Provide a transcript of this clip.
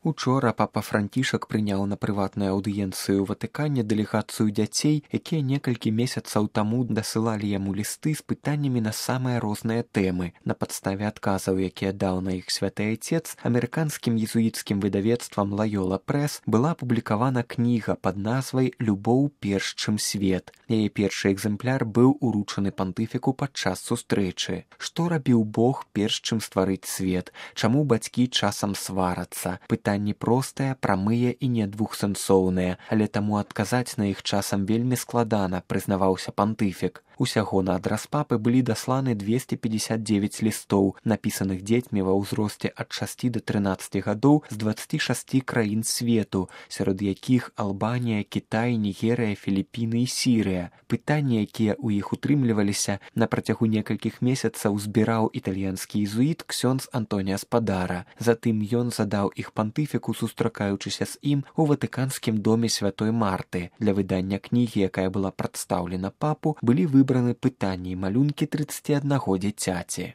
Учора папа Францішак прыняў на прыватнай аўдыенцыі ў Ватыкане дэлегацыю дзяцей, якія некалькі месяцаў таму дасылалі яму лісты з пытаннямі на самыя розныя тэмы. На падставе адказаў, якія даў на іх святы айцец, амерыканскім езуіцкім выдавецтвам Лайола Прэс была апублікавана кніга пад назвай «Любоў перш чым свет». Яе першы экземпляр быў уручаны пантыфіку падчас сустрэчы. Што рабіў Бог перш чым стварыць свет? Чаму бацькі часам сварацца? Пытанні простыя, прамыя і не двухсэнсоўныя, але таму адказаць на іх часам вельмі складана, прызнаваўся пантыфік. Усяго на адрас папы былі дасланы 259 лістоў, напісаных дзецьмі ва ўзросце ад 6 да 13 гадоў з 26 краін свету, сярод якіх Албанія, Кітай, Нігерыя, Філіпіны і Сірыя. Пытанні, якія ў іх утрымліваліся, на працягу некалькіх месяцаў збіраў італьянскі езуіт ксёндз Антоніа Спадара. Затым ён задаў іх пантыфіку, сустракаючыся з ім у Ватыканскім доме святой Марты. Для выдання кнігі, якая была прадстаўлена папу, былі выбраны пытанні і малюнкі 31 дзіцяці.